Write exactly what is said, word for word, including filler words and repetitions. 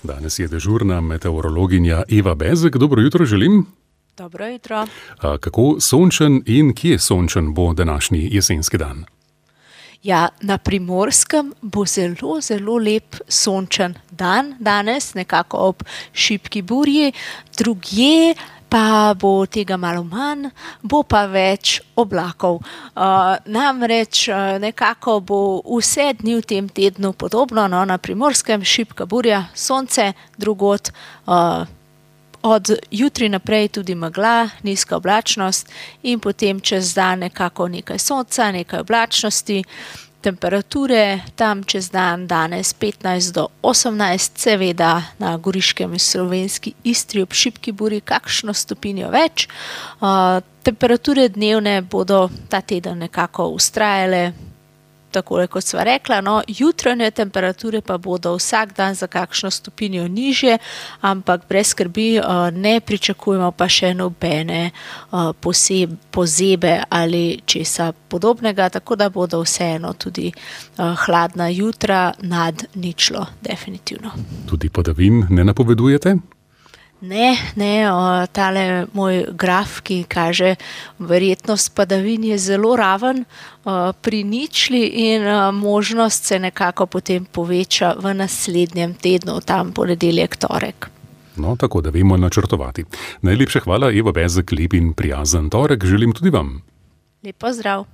Danes je dežurna meteorologinja Eva Bezek. Dobro jutro želim. Dobro jutro. A kako sončen in kje sončen bo današnji jesenski dan? Ja, na Primorskem bo zelo, zelo lep sončen dan danes, nekako ob šibki burji, drugje pa bo tega malo manj, bo pa več oblakov. Uh, namreč uh, nekako bo vse dni v tem tednu podobno, no, na Primorskem šibka burja, sonce, drugod uh, od jutri naprej tudi megla, nizka oblačnost in potem čez dan nekako nekaj sonca, nekaj oblačnosti. Temperature tam čez dan danes petnajst do osemnajst, seveda na Goriškem in slovenski Istri ob šibki burji kakšno stopinjo več. Uh, temperature dnevne bodo ta teden nekako vztrajale, takole kot sva rekla, no, jutranje temperature pa bodo vsak dan za kakšno stopinjo nižje, ampak brez skrbi, ne pričakujemo pa še nobene poseb, pozebe ali česa podobnega, tako da bodo vseeno tudi hladna jutra nad ničlo, definitivno. Tudi padavin ne napovedujete? Ne, ne, o, tale moj graf, ki kaže verjetnost padavin je zelo raven o, pri ničli in o, možnost se nekako potem poveča v naslednjem tednu, tam ponedeljek, torek. No, tako da vemo načrtovati. Najlepša hvala, Eva Bezek, lep in prijazen torek želim tudi vam. Lep pozdrav.